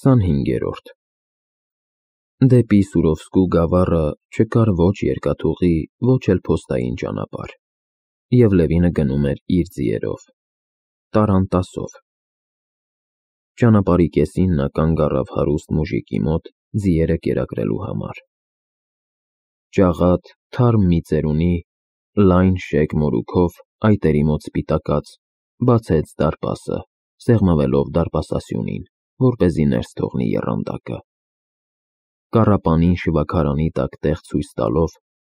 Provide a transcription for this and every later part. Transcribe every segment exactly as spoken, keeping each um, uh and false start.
քսանհինգերորդ Դեպի Սուրովսկու գավառը չկար ոչ երկաթուղի, ոչ էլ փոստային ճանապարհ, և Լևինը գնում էր իր ձիերով, տառանտասով։ Ճանապարհի կեսին նա կանգ առավ հարուստ մուժիկի մոտ ձիերը կերակրելու համար։ Ճաղատ, թարմ մի ծերունի, լայն շեկ մորուքով, այտերի մոտ սպիտակած, բացեց դարպասը, սեղմվելով դարպասասյունին, որպեսզի ներս թողնի եռանդակը։ Կառապանին շվաքարանի տակ տեղ ցույց տալով,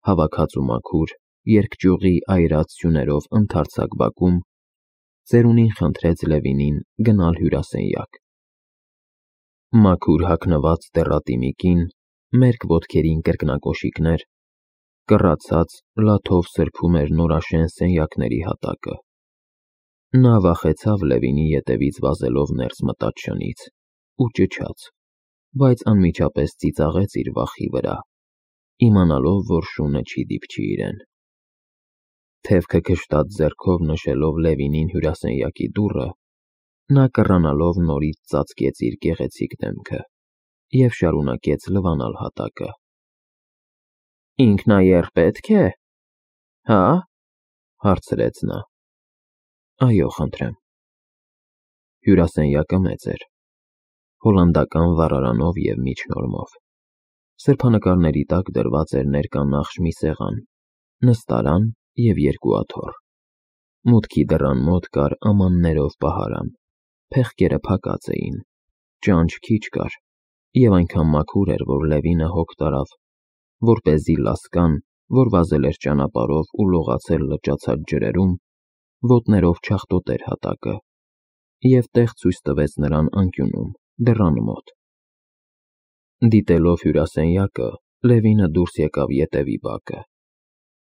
հավաքած ու մաքուր, երկճյուղի այրած սյուներով ընդարձակ բակում, ծերունին խնդրեց Լևինին գնալ հյուրասենյակ։ Մաքուր հագնված դեռատի մի կին, մերկ ոտքերին կրկնակոշիկներ, կռացած լաթով սրբում էր նորաշեն սենյակների հատակը։ Նա վախեցավ Լևինի ետևից վազելով ներս մտած շնից ու ճչաց, բայց անմիջապես ծիծաղեց իր վախի վրա, իմանալով, որ շունը չի դիպչի իրեն։ Թևքը քշտած ձեռքով նշելով Լևինին հյուրասենյակի դուռը, նա կռանալով նորից ծածկեց իր գեղեցիկ դեմքը և շարունակեց լվանալ հատակը։ Ինքնաեռ պետք է, հա՞, հարցրեց նա։ Այո, խնդրեմ։ Հյուրասենյակը մեծ էր, հոլանդական վառարանով և միջնորմով։ Սրբանկարների տակ դրված էր ներկանախշ մի սեղան, նստարան և երկու աթոռ։ Մուտքի դռան մոտ կար ամաններով պահարան, փեղկերը փակած էին, ճանճ քիչ կար, և այնքան մաքուր էր, որ Լևինը հոգ տարավ, որպեսզի լասկան, որ վազել էր ճանապարհով ու լողացել լճացած ջրերում, ոտներով չախտոտեր հատակը, և տեղ ցույց տվեց նրան անկյունում, դռան մոտ։ Դիտելով հյուրասենյակը, Լևինը դուրս եկավ ետևի բակը։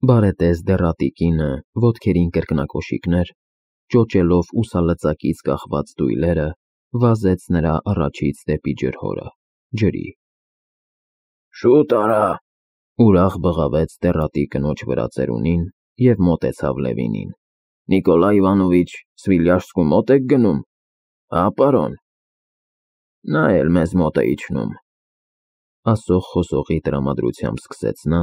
Բարետես դեռատի կինը, ոտքերին կրկնակոշիկներ, ճոճելով ուսալծակից կախված դույլերը, վազեց նրա առաջից դեպի ջրհորը, ջրի։ Շուտ արա, ուրախ բղավեց դեռատի կնոջ վրա ծերունին և մոտեցավ Լևինին։ Նիկոլայ Իվանովիչ, Սվիլյաշսկու մոտ եք գնում, հա, պարոն։ Նա էլ մեզ մոտ է իջնում, ասող խոսողի տրամադրությամբ սկսեց նա,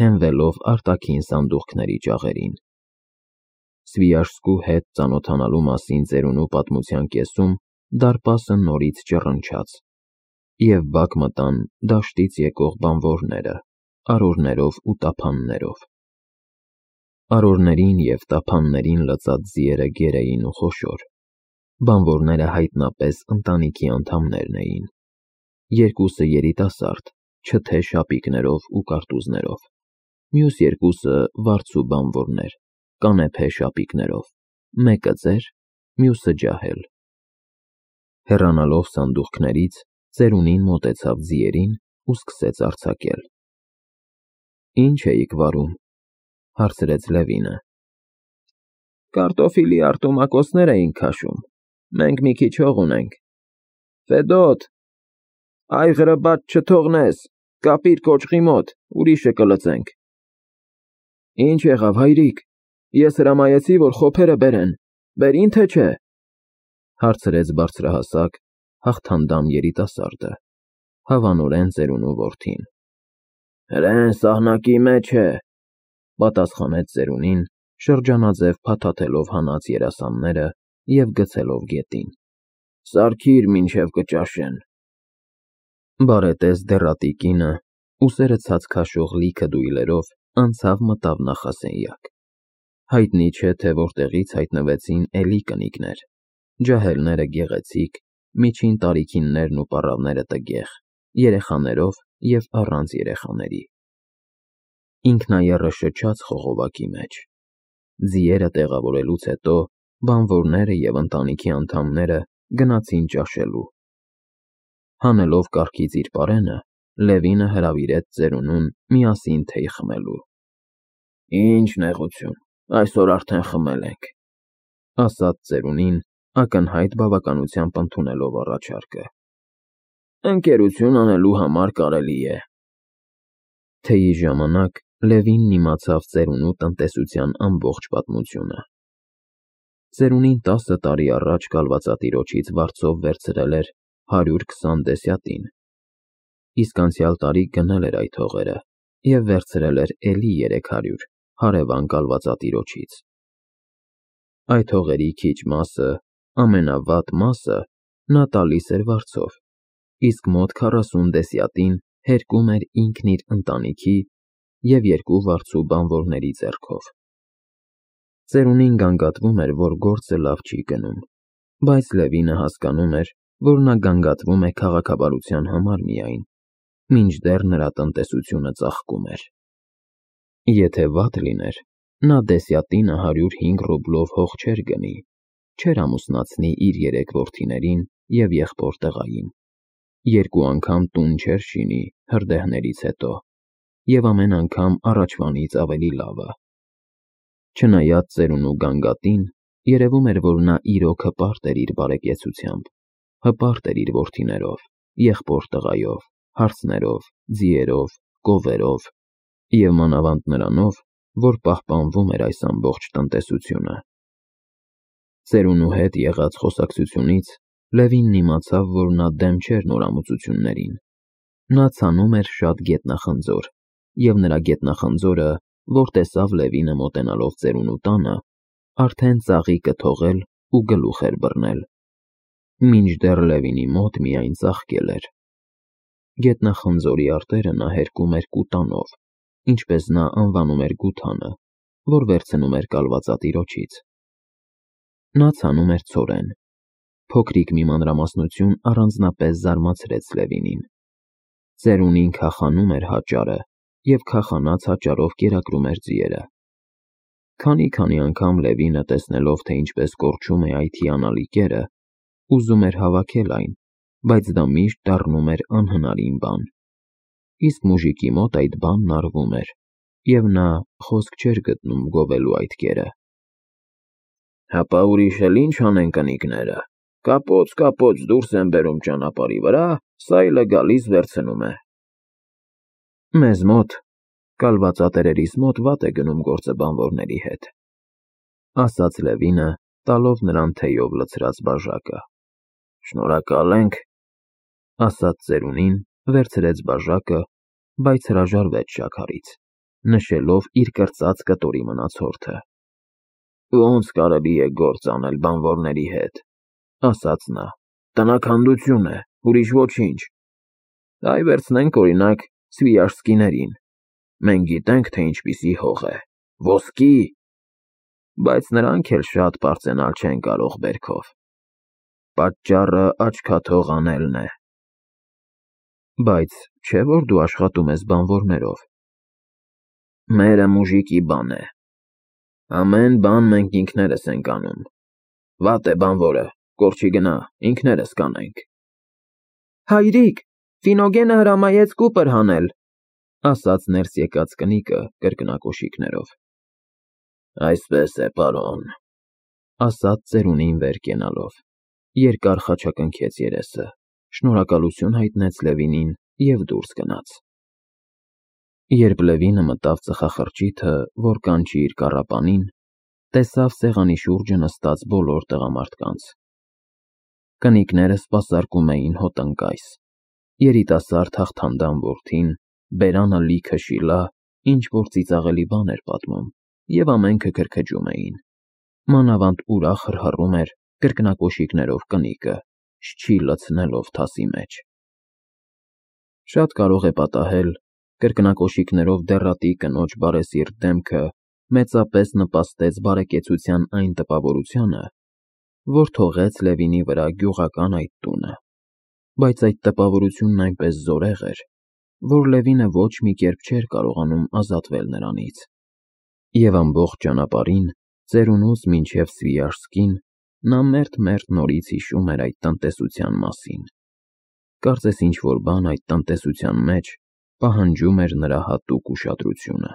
հենվելով արտաքին սանդուղքների ճաղերին։ Սվիաշսկու հետ ծանոթանալու մասին ծերունու պատմության կեսում դարպասը նորից ճռնչաց, և բակ մտան դաշտից եկող բանվորները, արորներով ու տափաններով։ Արորներին և տափաններին լծած ձիերը գեր էին ու խոշոր, բանվորները հայտնապես ընտանիքի անդամներն էին, երկուսը երիտասարդ, չթե շապիկներով ու կարտուզներով, մյուս երկուսը վարձու բանվորներ, կանեփե շապիկներով, մեկը ծեր, մյուսը ջահել։ Հեռանալով սանդուղքներից, ծերունին մոտեցավ ձիերին ու սկսեց արձակել։ Ինչ էիք վարում, հարցրեց Լևինը։ Կարտոֆիլի արտոմակոսներ էինք քաշում, մենք մի քիչ հող ունենք։ Ֆեդոտ, այղրը բաց չթողնես, կապիր կոճղի մոտ, ուրիշը կլծենք։ Ինչ եղավ, հայրիկ, ես հրամայեցի, որ խոփերը բերեն, բերին թե չէ, հարցրեց բարձրահասակ, հաղթանդամ երիտասարդը, հավանորեն ծերունու որդին։ Հրեն սահնակի մեջ է, պատասխանեց ծերունին, շրջանաձև փաթաթելով հանած երասանները և գցելով գետին։ Սարքիր, մինչև կճաշեն։ Բարետես դեռատի կինը, ուսերը ցած քաշող լիքը դույլերով, անցավ մտավ նախասենյակ։ Հայտնի չէ, թե որտեղից հայտնվեցին էլի կնիկներ, ջահելները գեղեցիկ, միջին տարիքիններն ու պառավները տգեղ, երեխաներով և առանց երեխաների։ Ինքնաեռը շչաց խողովակի մեջ։ Ձիերը տեղավորելուց հետո բանվորները և ընտանիքի անդամները գնացին ճաշելու։ Հանելով կառքից իր պարենը, Լևինը հրավիրեց ծերունուն միասին թեյ խմելու։ Ինչ նեղություն, այսօր արդեն խմել ենք, ասաց ծերունին, ակնհայտ բավականությամբ ընդունելով առաջարկը։ Ընկերություն անելու համար կարելի է։ Թեյի ժամանակ Լևինն իմացավ ծերունու տնտեսության ամբողջ պատմությունը։ Ծերունին տասը տարի առաջ կալվածատիրոջից վարձով վերցրել էր հարյուր քսան դեսյատին, իսկ անցյալ տարի գնել էր այդ հողերը և վերցրել էր էլի երեք հարյուր հարևան կալվածատիրոջից։ Այդ հողերի քիչ մասը, ամենավատ մասը նա տալիս էր վարձով, իսկ մոտ քառասուն դեսյատին հերկում էր ինքն իր ընտանիքի և երկու վարձու բանվորների ձեռքով։ Ծերունին գանգատվում էր, որ գործը լավ չի գնում, բայց Լևինը հասկանում էր, որ նա գանգատվում է քաղաքավարության համար միայն, մինչդեռ նրա տնտեսությունը ծաղկում էր։ Եթե վատ լիներ, նա դեսյատինը հարյուր հինգ ռուբլով հող չէր գնի, չէր ամուսնացնի իր երեք որդիներին և եղբոր տղային, երկու անգամ տուն չէր շինի հրդեհներից հետո և ամեն անգամ առաջվանից ավելի լավը։ Չնայած ծերունու գանգատին, երևում էր, որ նա իրոք հպարտ էր իր բարեկեցությամբ, հպարտ էր իր որդիներով, եղբոր տղայով, հարցներով, ձիերով, կովերով և մանավանդ նրանով, որ պահպանվում էր այս ամբողջ տնտեսությունը։ Ծերունու հետ եղած խոսակցությունից Լևինն իմացավ, որ նա դեմ չէր նորամուծություններին։ Նա ցանում էր շատ գետնախնձոր, և նրա գետնախնձորը, որ տեսավ Լևինը մոտենալով ծերունու տանը, արդեն ծաղիկը թողել ու գլուխ էր բռնել, մինչդեռ Լևինի մոտ միայն ծաղկել էր։ Գետնախնձորի արտերը նա հերկում էր կուտանով, ինչպես նա անվանում էր գութանը, որ վերցնում էր կալվածատիրոջից։ Նա ցանում էր ցորեն։ Փոքրիկ մի մանրամասնություն առանձնապես զարմացրեց Լևինին։ Ծերունին քախանում էր հաճարը և քախանած հաճարով կերակրում էր ձիերը։ Քանի-քանի անգամ Լևինը, տեսնելով, թե ինչպես կորչում է այդ հիանալի կերը, ուզում էր հավաքել այն, բայց դա միշտ դառնում էր անհնարին բան։ Իսկ մուժիկի մոտ այդ բանն արվում էր, և նա խոսք չէր գտնում գովելու այդ կերը։ «Հապա ուրիշ էլ ի՞նչ անեն կնիկները, կապոց֊կապոց դուրս են բերում ճանապարհի վրա, սայլը գալիս վերցնում է»։ «Մեզ մոտ, կալվածատերերիս մոտ վատ է գնում գործը բանվորների հետ», ասաց Լևինը, տալով նրան թեյով լցրած բաժակը։ «Շնորհակալ ենք», ասաց ծերունին, վերցրեց բաժակը, բայց հրաժարվեց շաքարից, նշելով իր կրծած կտորի մնացորդը։ «Ոնց կարելի է գործ անել բանվորների հետ», ասաց նա, «տնաքանդություն է, ուրիշ ոչինչ։ Այ վերցնենք, օրինակ, Սվիաժսկիներին, մենք գիտենք, թե ինչպիսի հող է, ոսկի, բայց նրանք էլ շատ պարծենալ չեն կարող բերքով։ Պատճառը աչքաթող անելն է»։ «Բայց չէ՞ որ դու աշխատում ես բանվորներով»։ «Մերը մուժիկի բան է։ Ամեն բան մենք ինքներս ենք անում։ Վատ է բանվորը, կոր չի գնա, ինքներս կանենք»։ «Հայրիկ, Ֆինոգենը հրամայեց կուպր հանել», ասաց ներս եկած կնիկը կրկնակոշիկներով։ «Այսպես է, պարոն», ասաց ծերունին վեր կենալով, երկար խաչակնքեց երեսը, շնորհակալություն հայտնեց Լևինին և դուրս գնաց։ Երբ Լևինը մտավ ծխախրճիթը, որ կանչի իր կառապանին, տեսավ սեղանի շուրջը նստած բոլոր տղամարդկանց։ Կնիկները սպասարկում էին հոտնկայս։ Երիտասարդ հաղթանդամ որդին, բերանը լիքը շիլա, ինչ-որ ծիծաղելի բան էր պատմում, և ամենքը քրքջում էին։ Մանավանդ ուրախ հռհռում էր կրկնակոշիկներով կնիկը, շչի լցնելով թասի մեջ։ Շատ կարող է պատահել, կրկնակոշիկներով դեռատի կնոջ բարեսիրտ դեմքը մեծապես նպաստեց բարեկեցության այն տպավորությանը, որ թողեց Լևինի վրա գյուղական այդ տունը, բայց այդ տպավորությունն այնպես զորեղ էր, որ Լևինը ոչ մի կերպ չէր կարողանում ազատվել նրանից։ Եվ ամբողջ ճանապարհին, ծերունուց մինչև Սվիաժսկին, նա մերթ-մերթ նորից հիշում էր այդ տնտեսության մասին։ Կարծես ինչ-որ բան այդ տնտեսության մեջ պահանջում էր նրա հատուկ ուշադրությունը։